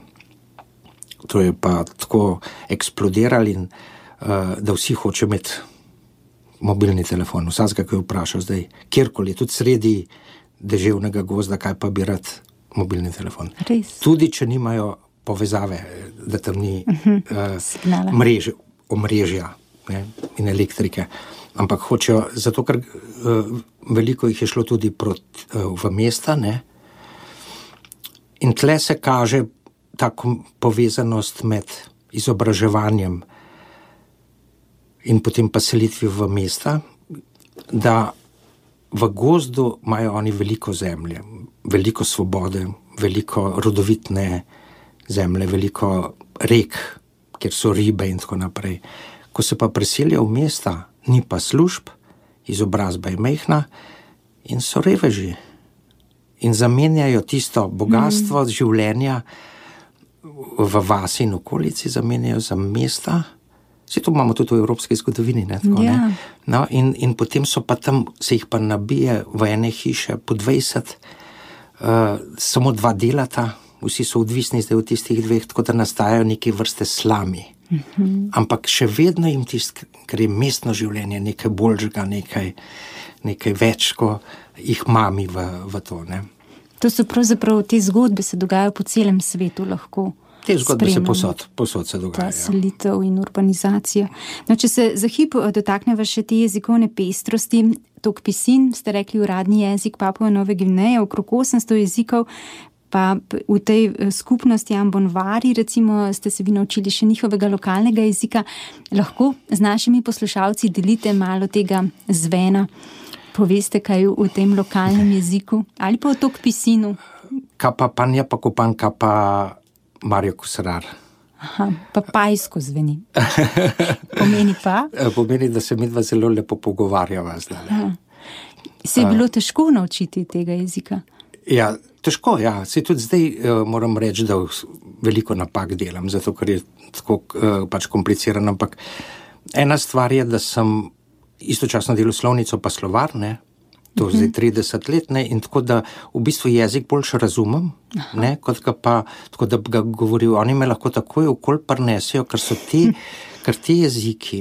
To je pa tako eksplodirali, in, uh, da vsi hoče imeti mobilni telefon. Vsakega, ki je vprašal zdaj, kjerkoli, tudi sredi deževnega gozda, kaj pa bi rad mobilni telefon. Res. Tudi, če nimajo povezave, da tam ni uh-huh. uh, mrež, omrežja, ne, in elektrike. Ampak hočejo, zato ker uh, veliko jih je šlo tudi proti, uh, v mesta, ne. In tle se kaže ta povezanost med izobraževanjem in potem pa selitvi v mesta, da v gozdu imajo oni veliko zemlje, veliko svobode, veliko rodovitne zemlje, veliko rek, kjer so ribe in tako naprej. Ko se pa preselijo v mesta, ni pa služb, izobrazba je majhna in so reveži. In zamenjajo tisto bogatstvo mm. življenja v vasi in okolici, zamenjajo za mesta. Vse to imamo tudi v evropski zgodovini. Ne, tako, ja. ne? No, in, in potem so pa tam, se jih pa nabije v ene hiše po dvajset, uh, samo dva delata, vsi so odvisni zdaj od tistih dveh, tako da nastajajo neke vrste slami. Mm-hmm. Ampak še vedno jim tisto, ker je mestno življenje nekaj boljšega, nekaj, nekaj več, ko jih mami v, v to. Ne? To so pravzaprav te zgodbe se dogajajo po celem svetu lahko. Te zgodbe se posod, posod se dogajajo. Ta selitev in urbanizacija. No, če se za hip dotakneva še te jezikovne pestrosti, tok pisin, ste rekli uradni jezik Papue Nove Gvineje, okrog osemsto jezikov, pa v tej skupnosti Ambonvari, recimo, ste se vi naučili še njihovega lokalnega jezika. Lahko z našimi poslušalci delite malo tega zvena, poveste kaj v tem lokalnem jeziku, ali pa o tok pisinu. Kapa panja pa kupan kapa Mario Kusrar. Aha, pa pajsko zveni. Pomeni pa? Pomeni, da se midva zelo lepo pogovarjava zdaj. Se je bilo težko naučiti tega jezika? Ja, težko, ja. Se tudi zdaj uh, moram reči, da veliko napak delam, zato ker je tako uh, pač kompliciran, ampak ena stvar je, da sem istočasno delal slovnico pa slovar, ne, to mm-hmm. zdaj trideset let, ne, in tako da v bistvu jezik boljše razumem, ne, kot ga pa, tako da ga govorijo, oni me lahko takoj okoli prinesejo, ker so ti, ker ti jeziki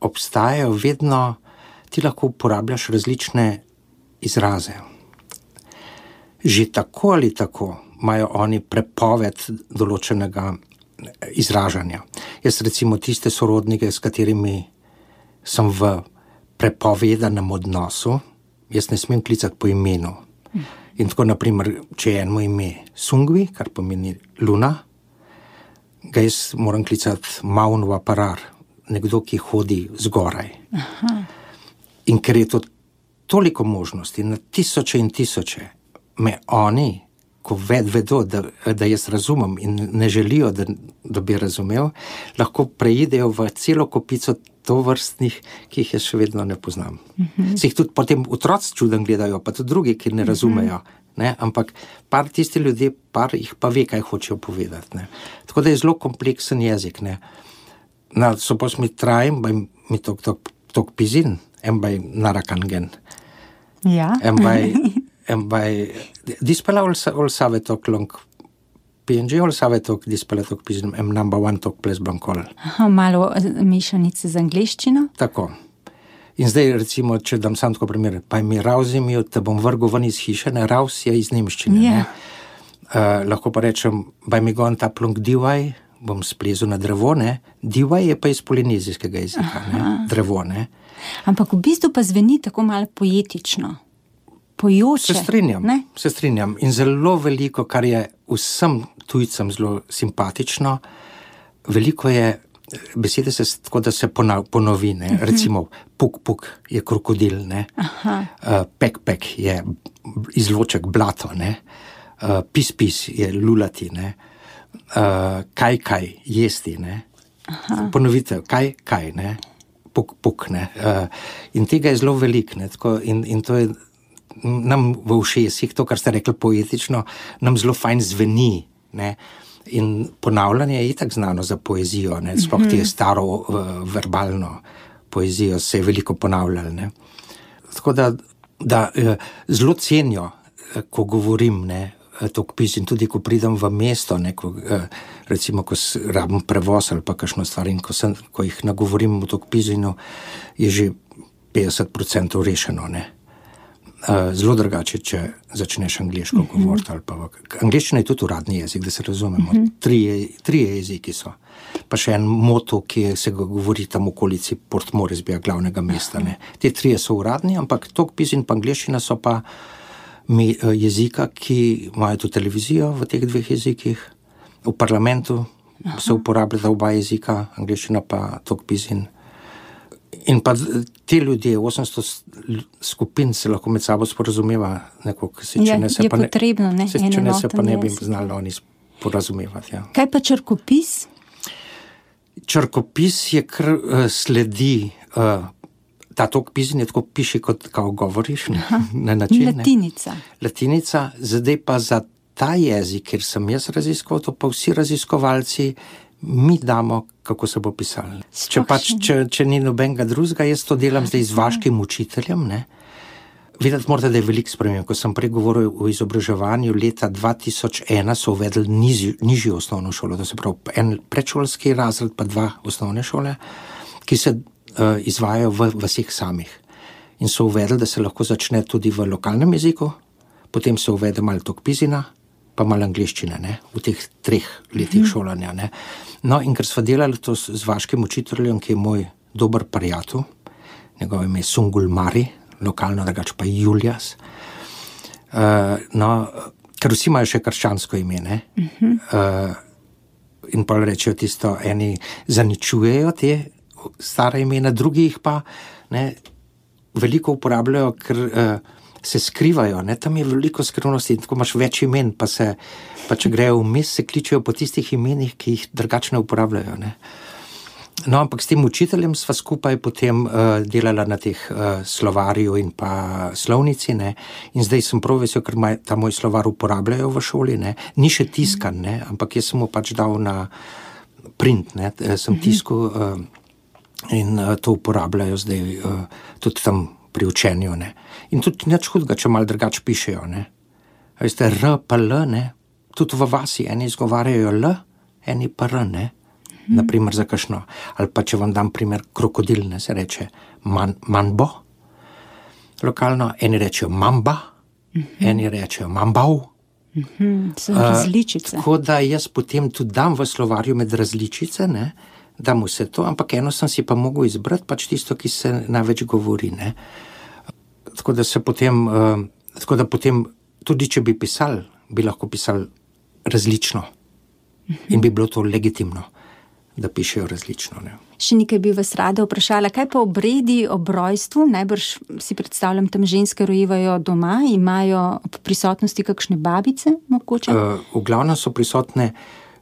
obstajajo vedno, ti lahko uporabljaš različne izraze. Že tako ali tako imajo oni prepoved določenega izražanja. Jaz recimo tiste sorodnike, s katerimi sem v prepovedanem odnosu, jaz ne smem klicati po imenu. In tako, naprimer, če je eno ime Sungvi, kar pomeni luna, ga jaz moram klicati Maun Vaparar, nekdo, ki hodi zgoraj. Aha. In ker je to toliko možnosti, na tisoče in tisoče, me oni, ko ved vedo, da, da jaz razumem in ne želijo, da, da bi razumel, lahko preidejo v celo kopico tovrstnih, ki jih jaz še vedno ne poznam. Uh-huh. Se jih tudi potem otroci čuden gledajo, pa tudi drugi, ki ne razumejo. Uh-huh. Ne? Ampak par tisti ljudje, par jih pa ve, kaj hočejo povedati. Ne? Tako da je zelo kompleksen jezik. Ne? Na, so pa mi trajem, baj mi tok, tok, tok pizin, en baj narakangen. Ja. En baj... En baj, dispela ol, ol save tok long P N G, ol save tok dispela tok pizim, em number one tok ples blankol. Aha, malo mešanice z angleščino? Tako. In zdaj, recimo, če dam sam tako primer, pa mi rauzim, te bom vrgel ven iz hiše, ne, rauz je iz nemščine, yeah. ne. Uh, lahko pa rečem, baj mi gon ta plonk divaj, bom splezel na drevo, ne. Divaj je pa iz polinezijskega jezika, ne, drevo, ne. Ampak v bistvu pa zveni tako malo poetično. Pojoče, se strinjam, ne? se strinjam. In zelo veliko, kar je vsem tujcem zelo simpatično, veliko je, besede se tako, da se ponovi, ne? Uh-huh. Recimo, puk, puk je krokodil, ne? Uh, pek, pek je izloček blato, ne? Uh, pis, pis je lulati, ne? Uh, kaj, kaj, jesti, ne? Aha. Ponovitev, kaj, kaj, ne? Puk, puk, ne? Uh, in tega je zelo veliko, ne? Tako, in, in to je nam v ušesih, to, kar ste rekli poetično, nam zelo fajn zveni, ne. In ponavljanje je itak znano za poezijo, ne, sploh ti je staro uh, verbalno poezijo se je veliko ponavljalo, ne. Tako da, da uh, zelo cenijo, uh, ko govorim, ne, tokpis in tudi, ko pridem v mesto, ne, ko, uh, recimo, ko rabim prevoz ali pa kakšno stvar in ko, sem, ko jih nagovorim v tokpisinu, je že petdeset procentov rešeno, ne. Uh, zelo drugače, če začneš angleško uh-huh. govoriti ali pa v... Angleščina je tudi uradni jezik, da se razumemo. Uh-huh. Tri, tri jeziki so. Pa še en moto, ki se ga govori tam v okolici Port Moresbya, glavnega mesta, ne. Te trije so uradni, ampak tokpis in pa angleščina so pa mi, uh, jezika, ki imajo tudi televizijo v teh dveh jezikih. V parlamentu uh-huh. se uporabljata oba jezika, angleščina pa tokpis in In pa te ljudje, osemsto skupin se lahko med sabo sporazumeva, nekako, se, če ja, ne se je pa ne, potrebno, ne, se, če ne se pa ne bi jezik. znali oni sporazumevati. Ja. Kaj pa črkopis? Črkopis je kar uh, sledi, uh, ta tokpis je tako piši, kot kao govoriš, ne, na način. Latinica. Ne. Latinica, zdaj pa za ta jezik, kjer sem jaz raziskoval, to pa vsi raziskovalci mi damo, kako se bo pisalo. Če, pač, če, če ni nobenega drugega, jaz to delam zdaj z vaškim učiteljem, ne. Videti morate, da je veliko sprememb. Ko sem prej govoril o izobraževanju, leta dva tisoč ena so uvedli nižjo, nižjo osnovno šolo, to se pravi en predšolski razred, pa dva osnovne šole, ki se uh, izvajajo v vseh samih. In so uvedli, da se lahko začne tudi v lokalnem jeziku, potem se uvede malo tokpisina, pa malo angleščine, ne, v teh treh letih mm. šolanja, ne. No, in ker sva delali to z, z vaškim učiteljem, ki je moj dober prijatelj, njegov ime je Sungul Mari, lokalno drugače pa Julias, uh, no, ker vsi imajo še krščansko ime, ne, mm-hmm. uh, in pa rečejo tisto, eni zaničujejo te stare imena, drugi jih pa, ne, veliko uporabljajo, ker uh, se skrivajo, ne, tam je veliko skrivnosti, tako imaš več imen, pa se, pa če grejo vmes, se kličejo po tistih imenih, ki jih drugače ne uporabljajo, ne. No, ampak s tem učiteljem sva skupaj potem uh, delala na teh uh, slovarju in pa slovnici, ne, in zdaj sem prav vesel, ker maj, ta moj slovar uporabljajo v šoli, ne, ni še tiskan, ne, ampak jaz sem mu pač dal na print, ne, sem tiskal uh, in uh, to uporabljajo zdaj uh, tudi tam pri učenju, ne. In tudi nič hudega, če malo drugače pišejo, ne. A veste, R pa L, ne, tudi v vasi eni izgovarjajo L, eni pa R, ne, hmm. naprimer za kakšno. Ali pa če vam dam primer krokodil, ne, se reče man, manbo, lokalno, eni rečejo mamba, hmm. eni rečejo mambau. Hmm. So različice. Uh, tako da jaz potem tudi dam v slovarju med različice, ne, dam vse to, ampak eno sem si pa mogel izbrati, pač tisto, ki se največ govori, ne. Tako da se potem, uh, tako da potem, tudi če bi pisali, bi lahko pisali različno. In bi bilo to legitimno, da pišejo različno, ne. Še nekaj bi vas rada vprašala, kaj pa obredi ob rojstvu? Najbrž si predstavljam, tam ženske rojevajo doma, imajo ob prisotnosti kakšne babice, mogoče? Uh, v glavnem so prisotne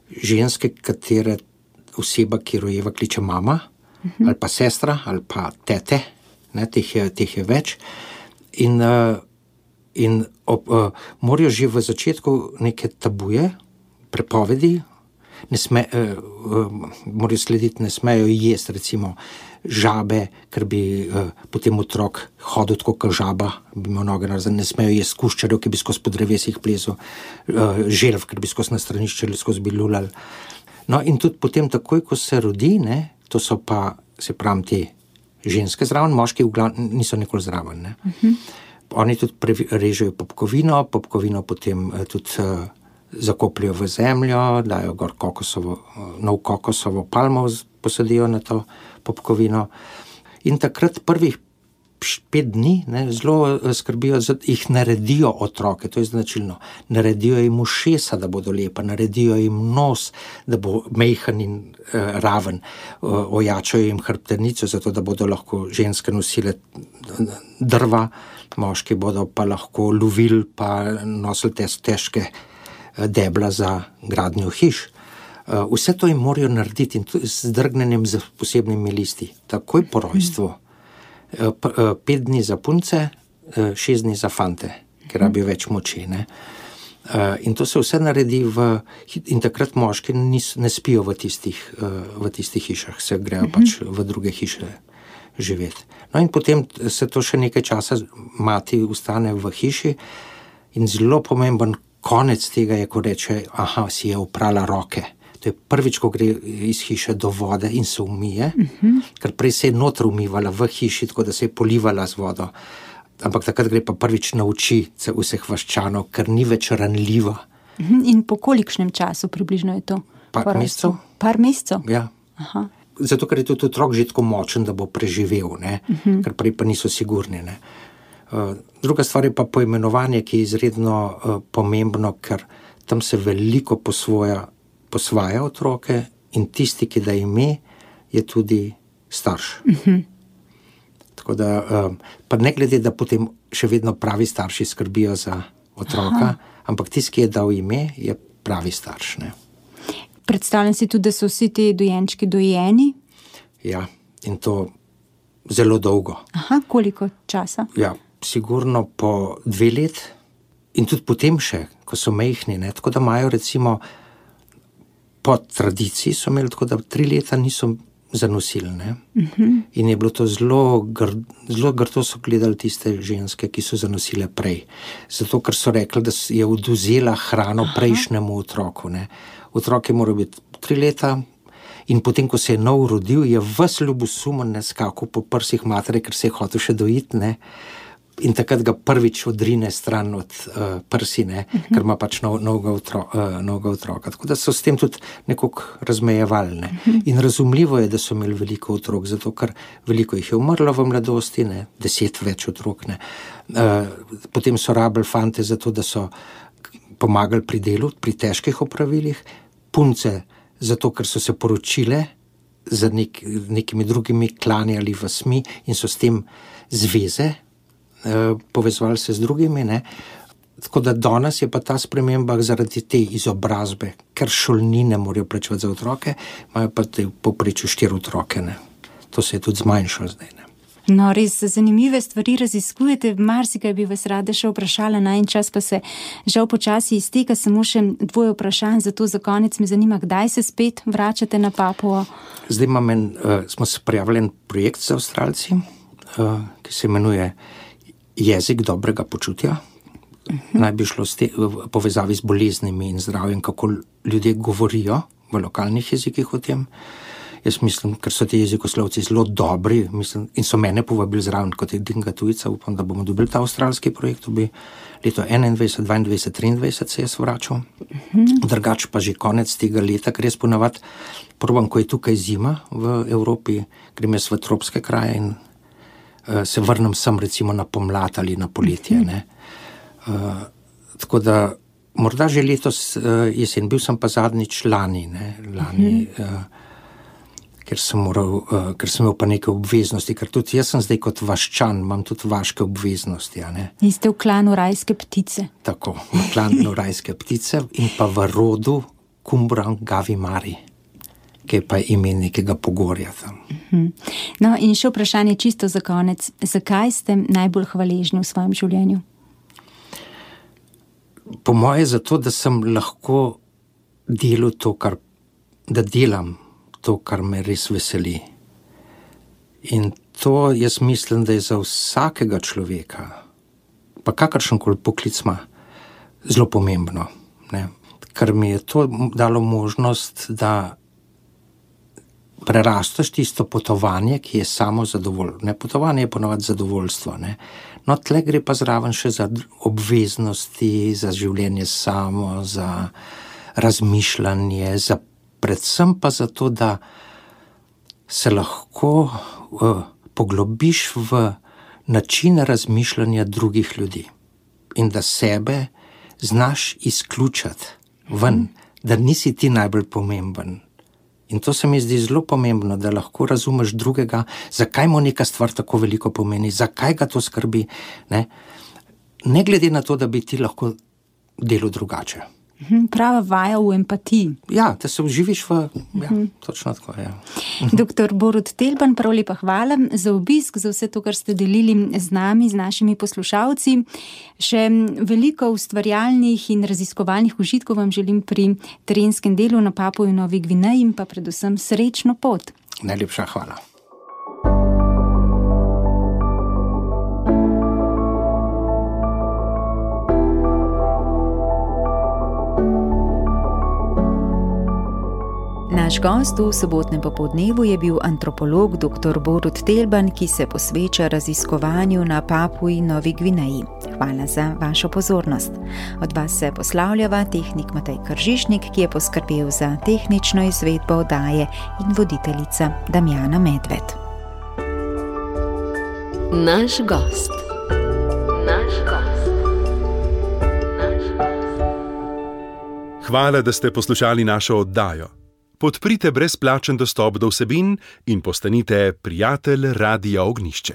ženske, katere oseba, ki rojeva, kliče mama, uh-huh. ali pa sestra, ali pa tete, ne, teh je, teh je več. In, uh, in ob, uh, morajo že v začetku neke tabuje, prepovedi, ne sme, uh, uh, morajo slediti, ne smejo jesti, recimo, žabe, ker bi uh, potem otrok hodil tako kot žaba, bi imel noge narazne, ne smejo jesti kuščarjev, ki bi skozi po drevesih plezal, uh, želv, ker bi skozi na stranišče ali skozi bi lulal. No, in tudi potem takoj, ko se rodi, ne, to so pa, se pravim, te ženske zraven, moški v glavnem niso nikoli zraven, ne. Uh-huh. Oni tudi pre- režejo popkovino, popkovino potem uh, tudi uh, zakopljajo v zemljo, dajo gor kokosovo, uh, nov kokosovo palmo posadijo na to popkovino. In takrat prvih pet dni, ne, zelo skrbijo, jih naredijo otroke, to je značilno. Naredijo jim ušesa, da bodo lepa, naredijo jim nos, da bo mejhan in uh, raven, uh, ojačajo jim hrbtenico, zato da bodo lahko ženske nosile drva, moški bodo pa lahko lovili, pa nosili te težke uh, debla za gradnjo hiš. Uh, vse to jim morajo narediti in z drgnenjem z posebnimi listi. Takoj po rojstvu. Pet dni za punce, šest dni za fante, ker rabijo več moči. Ne? In to se vse naredi v, in takrat moški nis, ne spijo v tistih, v tistih hišah, se grejo pač v druge hiše živeti. No in potem se to še nekaj časa mati ustane v hiši in zelo pomemben konec tega je, ko reče, aha, si je oprala roke. To je prvič, ko gre iz hiše do vode in se umije, uh-huh. ker prej se je notro umivala v hiši, tako da se je polivala z vodo. Ampak takrat gre pa prvič nauči vseh vaščanov, ker ni več ranljiva. Uh-huh. In po kolikšnem času približno je to? Par mesecev. Par mesecev? Ja. Aha. Zato, ker je tudi otrok že tako močen, da bo preživel, ne? Uh-huh. Ker prej pa niso sigurni. Ne? Uh, druga stvar je pa poimenovanje, ki je izredno uh, pomembno, ker tam se veliko posvoja, posvaja otroke in tisti, ki da ime, je tudi starš. Uh-huh. Tako da, uh, pa ne glede, da potem še vedno pravi starši skrbijo za otroka, aha. ampak tisti, ki je dal ime, je pravi starš. Ne? Predstavljam si tudi, da so vsi ti dojenčki dojeni? Ja, in to zelo dolgo. Aha, koliko časa? Ja, sigurno po dve let in tudi potem še, ko so mehni, ne, tako da imajo recimo po tradiciji so imeli tako, da tri leta niso zanosili, ne. Uh-huh. In je bilo to zelo grdo, zelo grdo so gledali tiste ženske, ki so zanosile prej. Zato, ker so rekli, da je odvzela hrano aha. Prejšnjemu otroku, ne. Otrok je moral biti tri leta in potem, ko se je nov rodil, je ves ljubosumen skakal po prsih matere, ker se je hotel še dojiti, ne. In takrat ga prvič odrine stran od uh, prsi, ne, uh-huh. ker ima pač nov, novega, otro, uh, novega otroka. Tako da so s tem tudi nekako razmejevali. Ne. Uh-huh. In razumljivo je, da so imeli veliko otrok, zato ker veliko jih je umrlo v mladosti, ne, deset več otrok. Ne. Uh, potem so rabili fante zato, da so pomagali pri delu, pri težkih opravilih, punce zato, ker so se poročile z nek, nekimi drugimi klani ali vasmi in so s tem zveze, povezovali se z drugimi, ne. Tako da danes je pa ta sprememba zaradi te izobrazbe, ker šolnine morajo plačevati za otroke, imajo pa te povprečju štiri otroke, ne. To se je tudi zmanjšalo zdaj, ne. No, res zanimive stvari raziskujete, marsikaj bi vas rada še vprašala, na en čas pa se žal počasi izteka, samo še dvoje vprašanj, zato za konec me zanima, kdaj se spet vračate na Papuo? Zdaj imam en, uh, smo se prijavili en projekt z Avstralci, uh, ki se imenuje Jezik dobrega počutja. Uh-huh. Naj bi šlo ste, v povezavi z boleznimi in zdravjem, kako ljudje govorijo v lokalnih jezikih o tem. Jaz mislim, ker so ti jezikoslovci zelo dobri, mislim, in so mene povabili zraven kot edinega tujca, upam, da bomo dobili ta avstralski projekt, to bi leto enaindvajset, dvaindvajset, triindvajset se jaz vračal. Uh-huh. Drugač pa že konec tega leta, ker jaz ponavadi probam, ko je tukaj zima v Evropi, grem jaz v tropske kraje in uh, se vrnem sem recimo na pomlad ali na poletje. Ne. Uh, tako da morda že letos uh, jesen, bil sem pa zadnjič lani, ne, lani, uh-huh. uh, ker sem moral, uh, ker sem imel pa neke obveznosti, ker tudi jaz sem zdaj kot vaščan, imam tudi vaške obveznosti, ja, ne. In ste v klanu rajske ptice. Tako, v klanu rajske ptice in pa v rodu Kumbran Gavimari, ki je pa ime nekega pogorja tam. Uh-huh. No, in še vprašanje čisto za konec. Zakaj ste najbolj hvaležni v svojem življenju? Po moje zato, da sem lahko delal to, kar, da delam to, kar me res veseli. In to jaz mislim, da je za vsakega človeka, pa kakršenkoli poklic ima, zelo pomembno. Ne? Ker mi je to dalo možnost, da prerastaš tisto potovanje, ki je samo zadovoljstvo. Ne, potovanje je ponovadi zadovoljstvo. Ne? No, tle gre pa zraven še za obveznosti, za življenje samo, za razmišljanje, za predvsem pa zato, da se lahko uh, poglobiš v način razmišljanja drugih ljudi in da sebe znaš izključati ven, da nisi ti najbolj pomemben. In to se mi zdi zelo pomembno, da lahko razumeš drugega, zakaj mu neka stvar tako veliko pomeni, zakaj ga to skrbi, ne, ne glede na to, da bi ti lahko delal drugače. Prava vaja v empatiji. Ja, da se vživiš v... Ja, točno tako, ja. Doktor Borut Telban, prav lepa hvala za obisk, za vse to, kar ste delili z nami, z našimi poslušalci. Še veliko ustvarjalnih in raziskovalnih užitkov vam želim pri terenskem delu na Papuji Novi Gvineji in pa predvsem srečno pot. Najlepša hvala. Naš gost v sobotnem popoldnevu je bil antropolog doktor Borut Telban, ki se posveča raziskovanju na Papuji Novi Gvineji. Hvala za vašo pozornost. Od vas se poslavljava tehnik Matej Kržišnik, ki je poskrbel za tehnično izvedbo oddaje, in voditeljica Damjana Medved. Naš gost. Naš gost. Naš gost. Hvala, da ste poslušali našo oddajo. Podprite brezplačen dostop do vsebin in postanite prijatelj Radia Ognjišče.